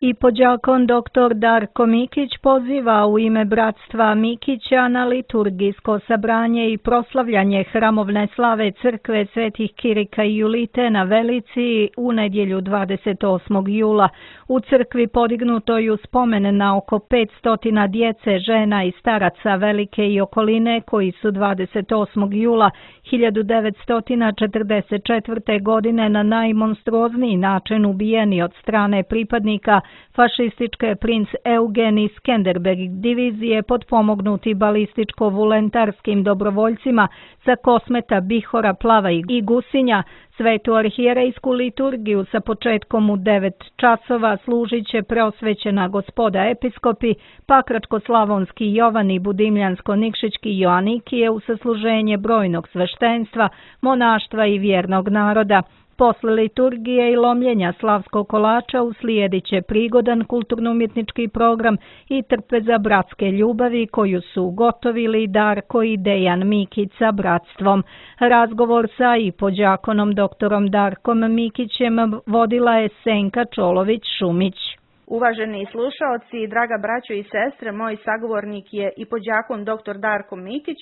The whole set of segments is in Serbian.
I pođakon dr. Darko Mikić poziva u ime bratstva Mikića na liturgijsko sabranje i proslavljanje hramovne slave crkve Svetih Kirika i Julite na Velici u nedjelju 28. jula. U crkvi podignutoj u spomen na oko 500 djece, žena i staraca Velike i okoline koji su 28. jula 1944. godine na najmonstruozniji način ubijeni od strane pripadnika fašističke princ Eugen i Skenderberg divizije potpomognuti balističko-voluntarskim dobrovoljcima sa Kosmeta, Bihora, Plava i Gusinja. Svetu arhijerejsku liturgiju sa početkom u 9 časova služit će preosvećena gospoda episkopi, Pakračko-slavonski Jovan i Budimljansko-nikšićki Joanikije u sasluženje brojnog sveštenstva, monaštva i vjernog naroda. Posle liturgije i lomljenja slavskog kolača uslijedit će prigodan kulturno-umjetnički program i trpeza bratske ljubavi koju su ugotovili Darko i Dejan Mikić sa bratstvom. Razgovor sa i pođakonom doktorom Darkom Mikićem vodila je Senka Čolović-Šumić. Uvaženi slušaoci, draga braćo i sestre, moj sagovornik je i pođakon dr. Darko Mikić,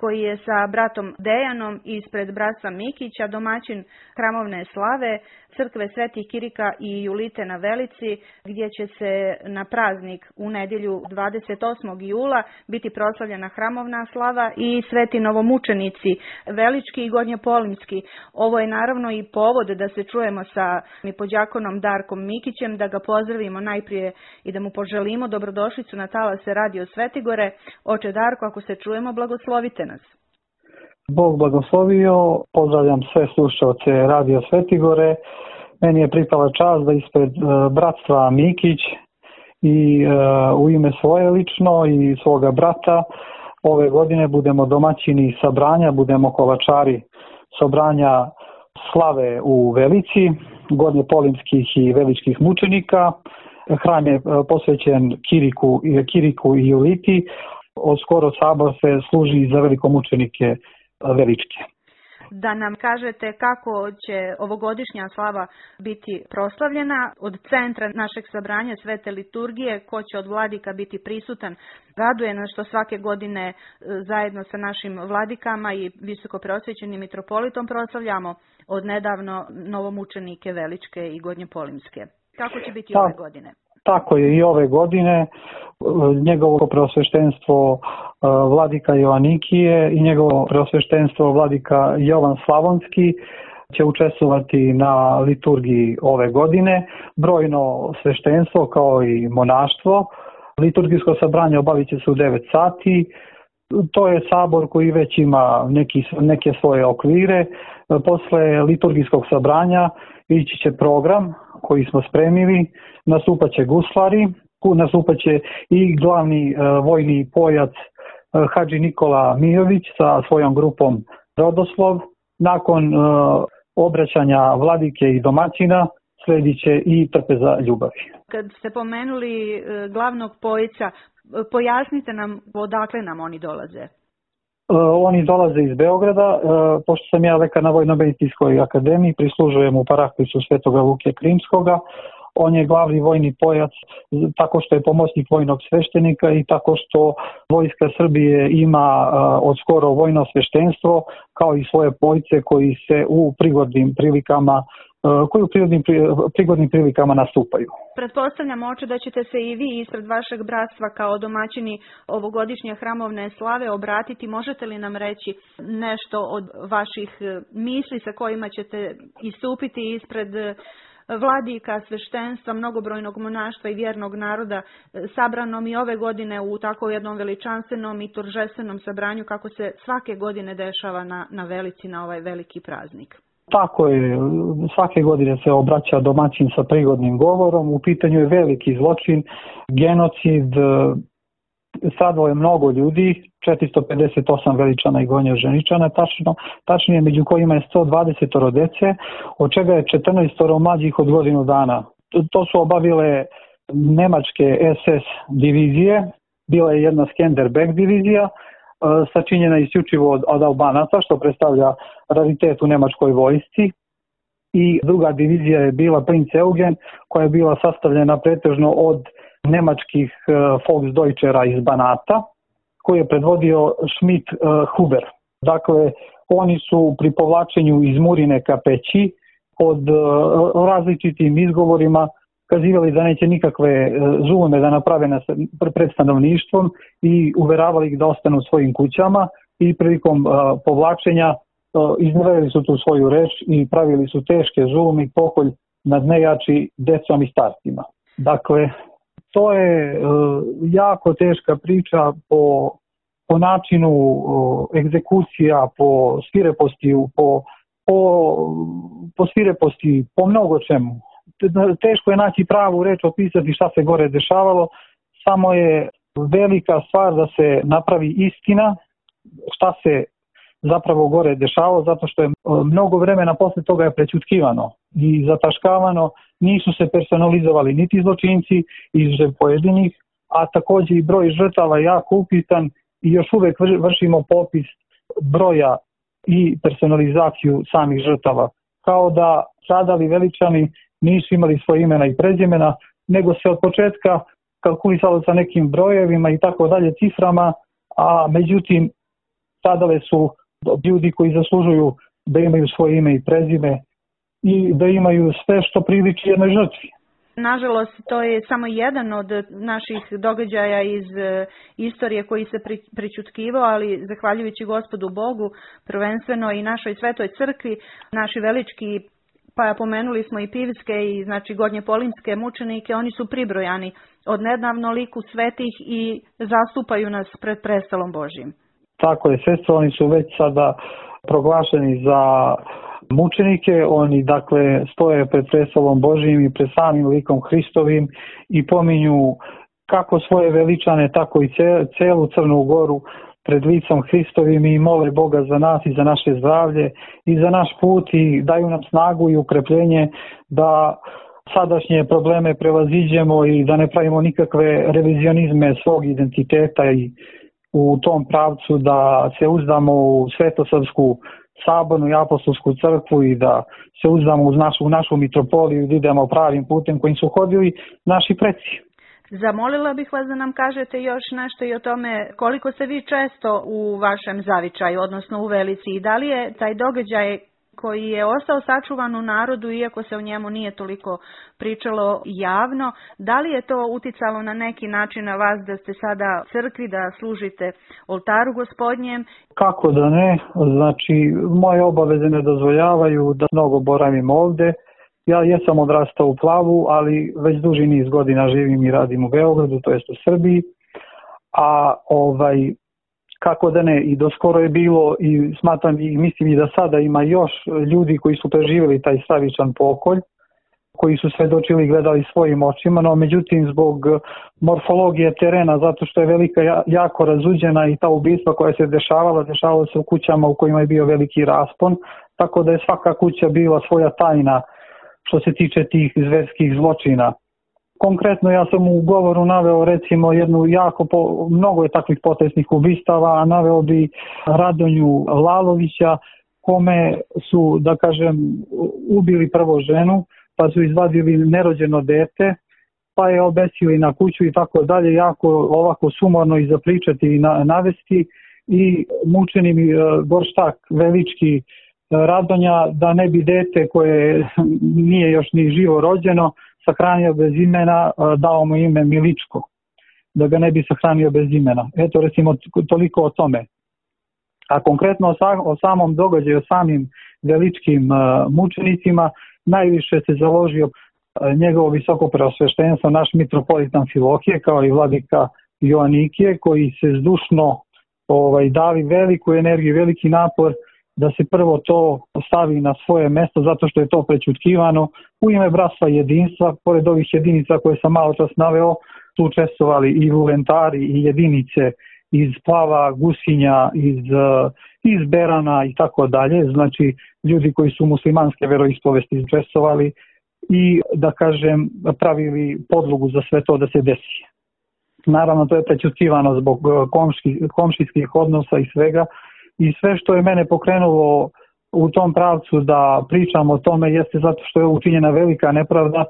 koji je sa bratom Dejanom ispred bratstva Mikića domaćin hramovne slave crkve Svetih Kirika i Julite na Velici, gdje će se na praznik u nedjelju 28. jula biti proslavljena hramovna slava i sveti novomučenici Velički i Gornjopolimski. Ovo je naravno i povod da se čujemo sa pođakonom Darkom Mikićem, da ga pozdravimo najprije i da mu poželimo dobrodošlicu na talase Radio Svetigore. Oče Darko, ako se čujemo, blagoslovite nas. Bog blagoslovio, pozdravljam sve slušaoce Radio Svetigore. Meni je pripala čast da ispred bratstva Mikić i u ime svoje lično i svoga brata ove godine budemo domaćini sabranja, budemo kolačari sabranja slave u Velici, gornjopolimskih i veličkih mučenika. Hram je posvećen Kiriku i Juliti. Skoro sabor se služi za velikomučenike Veličke. Da nam kažete kako će ovogodišnja slava biti proslavljena od centra našeg sabranja Svete liturgije, ko će od vladika biti prisutan. Raduje nas što svake godine zajedno sa našim vladikama i visoko preosvećenim mitropolitom proslavljamo od nedavno novomučenike Veličke i Gornjopolimske. Kako će biti ove godine? Tako je i ove godine. Njegovo preosveštenstvo vladika Joanikije i njegovo preosveštenstvo vladika Jovan Slavonski će učestvovati na liturgiji ove godine. Brojno sveštenstvo kao i monaštvo. Liturgijsko sabranje obavit će se u 9 sati. To je sabor koji već ima neke svoje okvire. Posle liturgijskog sabranja ići će program koji smo spremili, nastupat će guslari, nastupat će i glavni vojni pojac Hadži Nikola Mijović sa svojom grupom Rodoslov. Nakon obraćanja vladike i domaćina sledit će i trpeza ljubavi. Kad ste pomenuli glavnog pojca, pojasnite nam odakle nam oni dolaze. Oni dolaze iz Beograda, pošto sam ja lekar na Vojno-medicinskoj akademiji, prislužujem u paraklisu Svetoga Luke Krimskoga. On je glavni vojni pojac tako što je pomoćnik vojnog sveštenika i tako što Vojska Srbije ima od skoro vojno sveštenstvo kao i svoje pojce koji se u prigodnim prilikama nastupaju. Pretpostavljam, oče, da ćete se i vi ispred vašeg bratstva kao domaćini ovogodišnje hramovne slave obratiti. Možete li nam reći nešto od vaših misli sa kojima ćete istupiti ispred vladika, sveštenstva, mnogobrojnog monaštva i vjernog naroda sabranom i ove godine u tako jednom veličanstvenom i торжественom sabranju kako se svake godine dešava na Velici, na ovaj veliki praznik? Tako je, svake godine se obraća domaćin sa prigodnim govorom. U pitanju je veliki zločin, genocid, stradalo je mnogo ljudi, 458 veličana i gonjoženičana, tačnije među kojima je 120 dece, od čega je 14 mlađih od godinu dana. To su obavile nemačke SS divizije, bila je jedna Skenderberg divizija, sačinjena isključivo od Albanaca, što predstavlja raritet u nemačkoj vojsci. i druga divizija je bila Princ Eugen, koja je bila sastavljena pretežno od nemačkih Volksdeutschera iz Banata, koji je predvodio Schmidt-Huber. Dakle, oni su pri povlačenju iz Murine ka Peći pod različitim izgovorima kazivali da neće nikakve zulume da naprave pred stanovništvom i uveravali ih da ostanu u svojim kućama i prilikom povlačenja iznervili su tu svoju reč i pravili su teške zulume i pokolj nad nejači decom i starcima. Dakle, to je jako teška priča po načinu egzekucija, po svireposti, po mnogo čemu. Teško je naći pravu reč, opisati šta se gore dešavalo, samo je velika stvar da se napravi istina šta se zapravo gore dešavalo, zato što je mnogo vremena posle toga je prećutkivano i zataškavano, nisu se personalizovali niti zločinci izže pojedinih, a takođe i broj žrtava je jako upitan i još uvek vršimo popis broja i personalizaciju samih žrtava. Kao da stradali veličani nisu imali svoje imena i prezimena, nego se od početka kalkulisalo sa nekim brojevima i tako dalje, ciframa, a međutim stradale su ljudi koji zaslužuju da imaju svoje ime i prezime i da imaju sve što priliči jednoj žrtvi. Nažalost, to je samo jedan od naših događaja iz istorije koji se prećutkivao, ali zahvaljujući Gospodu Bogu, prvenstveno i našoj Svetoj crkvi, naši velički, pa pomenuli smo i Pivske i znači Gornjepolinske mučenike, oni su pribrojani od nedavno liku svetih i zastupaju nas pred prestolom Božjim. Tako je, sestro, oni su već sada proglašeni za mučenike, oni dakle stoje pred prestolom Božjim i pred samim likom Hristovim i pominju kako svoje veličane, tako i celu Crnu Goru pred licom Hristovim i mole Boga za nas i za naše zdravlje i za naš put i daju nam snagu i ukrepljenje da sadašnje probleme prevaziđemo i da ne pravimo nikakve revizionizme svog identiteta i u tom pravcu da se uzdamo u Svetosavsku sabornu i apostolsku crkvu i da se uzdamo u našu mitropoliju i da idemo pravim putem kojim su hodili naši preci. Zamolila bih vas da nam kažete još nešto i o tome koliko ste vi često u vašem zavičaju, odnosno u Velici, i da li je taj događaj koji je ostao sačuvan u narodu, iako se o njemu nije toliko pričalo javno, da li je to uticalo na neki način na vas da ste sada u crkvi, da služite oltaru Gospodnjem? Kako da ne, znači moje obaveze ne dozvoljavaju da mnogo boravim ovde. Ja jesam odrastao u Plavu, ali već duži niz godina živim i radim u Beogradu, to jest u Srbiji, a kako da ne, i doskoro je bilo i smatram i mislim i da sada ima još ljudi koji su preživjeli taj stravičan pokolj, koji su svedočili i gledali svojim očima, no međutim zbog morfologije terena, zato što je Velika jako razuđena i ta ubistva koja se dešavala se u kućama u kojima je bio veliki raspon, tako da je svaka kuća bila svoja tajna što se tiče tih zverskih zločina. Konkretno ja sam u govoru naveo recimo mnogo je takvih potresnih ubistava, a naveo bi Radonju Lalovića, kome su, da kažem, ubili prvo ženu, pa su izvadili nerođeno dete, pa je obesili na kuću i tako dalje, jako ovako sumorno i zapričati i navesti i mučeni mi gorštak velički Radonja da ne bi dete koje nije još ni živo rođeno sahranio bez imena, dao mu ime Miličko, da ga ne bi sahranio bez imena. Eto recimo toliko o tome. A konkretno o samom događaju, o samim veličkim mučenicima, najviše se založio njegovo visoko preosveštenstvo, naš mitropolit Amfilohije, kao i vladika Joanikije, koji se zdušno dali veliku energiju, veliki napor da se prvo to stavi na svoje mesto, zato što je to prećutkivano u ime bratstva i jedinstva. Pored ovih jedinica koje sam malo čas naveo, su učestvovali i vulentari i jedinice iz Plava, Gusinja, iz Berana i tako dalje. Znači ljudi koji su muslimanske veroispovesti učestvovali i, da kažem, pravili podlogu za sve to da se desi. Naravno, to je prećutkivano zbog komšijskih odnosa i svega. I sve što je mene pokrenulo u tom pravcu da pričamo o tome jeste zato što je učinjena velika nepravda,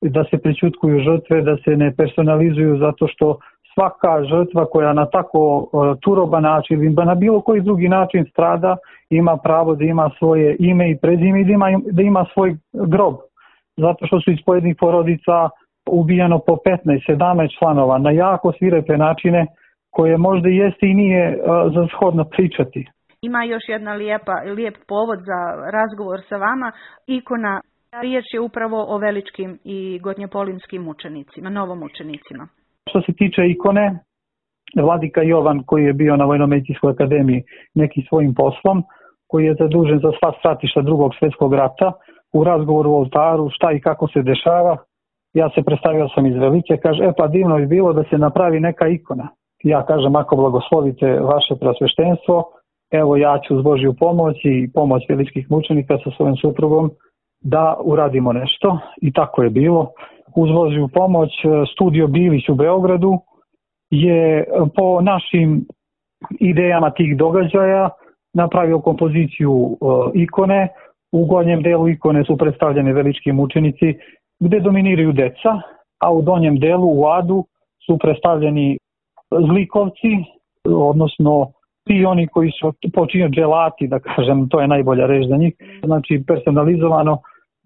da se prećutkuju žrtve, da se ne personalizuju, zato što svaka žrtva koja na tako turoban način ili na bilo koji drugi način strada ima pravo da ima svoje ime i prezime i da ima svoj grob. Zato što su iz pojedinih porodica ubijano po 15-17 članova na jako svirepe načine koje možda jeste i nije za shodno pričati. Ima još jedna lijep povod za razgovor sa vama. Ikona, riječ je upravo o Veličkim i Gornjopolimskim mučenicima, novomučenicima. Što se tiče ikone, vladika Jovan koji je bio na Vojno-medicinskoj akademiji nekim svojim poslom, koji je zadužen za sva stratišta Drugog svjetskog rata, u razgovoru u oltaru šta i kako se dešava, ja se predstavio sam iz Velike, kaže, pa divno bi bilo da se napravi neka ikona. Ja kažem, ako blagoslovite vaše preosveštenstvo, evo ja ću uz Božju pomoć i pomoć Veličkih mučenika sa svojim suprugom da uradimo nešto. I tako je bilo. Uz Božju pomoć studio Bilić u Beogradu je po našim idejama tih događaja napravio kompoziciju ikone. U gornjem delu ikone su predstavljeni Velički mučenici gde dominiraju deca, a u donjem delu u adu su predstavljeni zlikovci, odnosno ti oni koji su počinjeni dželati, da kažem, to je najbolja reč za njih, znači personalizovano,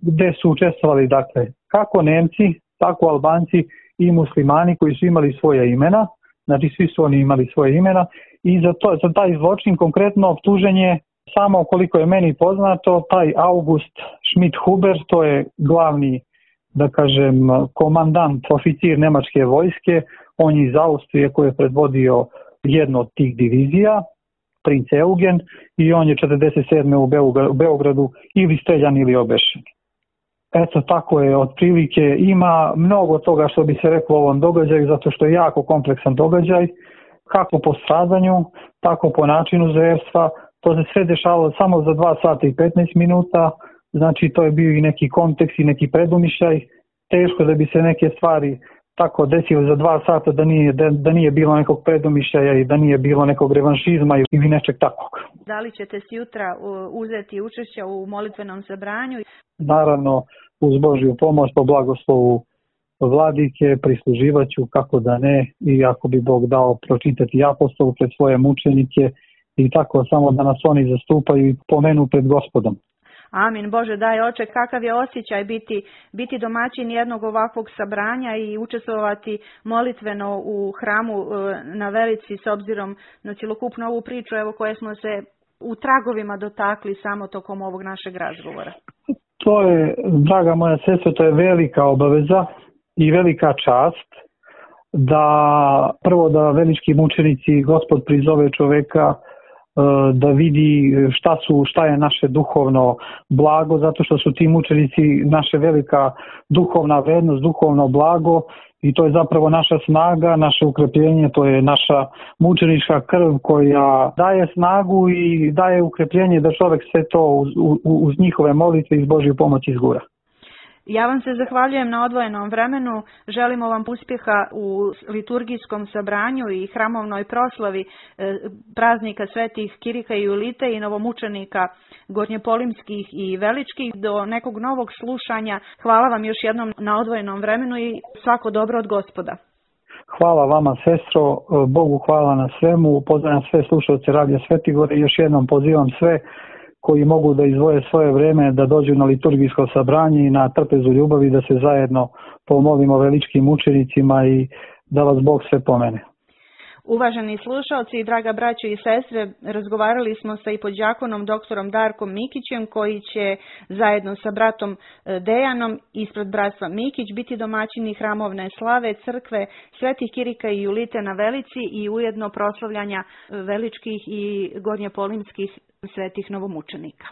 gde su učestvovali, dakle, kako Nemci, tako Albanci i muslimani koji su imali svoje imena, znači svi su oni imali svoje imena i za taj zločin konkretno optužen je samo koliko je meni poznato, taj August Schmidt-Huber, to je glavni, da kažem, komandant, oficir nemačke vojske, on je iz Austrije koji je predvodio jednu od tih divizija, princ Eugen, i on je 47. u Beogradu ili streljan ili obešen. Eto, tako je, otprilike ima mnogo toga što bi se reklo o ovom događaju, zato što je jako kompleksan događaj, kako po stradanju, tako po načinu zverstva. To se sve dešavalo samo za 2 sata i 15 minuta, znači to je bio i neki kontekst i neki predumišljaj. Teško da bi se neke stvari tako desilo za 2 sata da nije bilo nekog predumišljaja i da nije bilo nekog revanšizma ili nečeg takvog. Da li ćete sutra uzeti učešća u molitvenom sabranju? Naravno, uz Božju pomoć, po blagoslovu vladike, prisluživat ću, kako da ne, i ako bi Bog dao pročitati apostolu pred svoje mučenike i tako samo da nas oni zastupaju i pomenu pred Gospodom. Amin. Bože daj oče, kakav je osjećaj biti domaćin jednog ovakvog sabranja i učestvovati molitveno u hramu na Velici s obzirom na cjelokupnu ovu priču evo koje smo se u tragovima dotakli samo tokom ovog našeg razgovora. To je, draga moja sestra, to je velika obaveza i velika čast da Velički mučenici, Gospod prizove čoveka da vidi šta je naše duhovno blago, zato što su ti mučenici naše velika duhovna vrednost, duhovno blago i to je zapravo naša snaga, naše ukrepljenje, to je naša mučenička krv koja daje snagu i daje ukrepljenje da čovjek sve to uz njihove molitve i s Božju pomoć izgura. Ja vam se zahvaljujem na odvojenom vremenu, želimo vam uspjeha u liturgijskom sabranju i hramovnoj proslavi praznika svetih Kirika i Julite i novomučenika Gornjopolimskih i Veličkih. Do nekog novog slušanja, hvala vam još jednom na odvojenom vremenu i svako dobro od Gospoda. Hvala vama, sestro, Bogu hvala na svemu, pozdravljam sve slušalce Radija Svetigore i još jednom pozivam sve koji mogu da izdvoje svoje vreme da dođu na liturgijsko sabranje i na trpezu ljubavi, da se zajedno pomolimo Veličkim mučenicima i da vas Bog sve pomene. Uvaženi slušalci i draga braćo i sestre, razgovarali smo sa ipodjakonom doktorom Darkom Mikićem koji će zajedno sa bratom Dejanom ispred bratstva Mikić biti domaćini hramovne slave crkve svetih Kirika i Julite na Velici i ujedno proslavljanja Veličkih i Gornjopolimskih svetih novomučenika.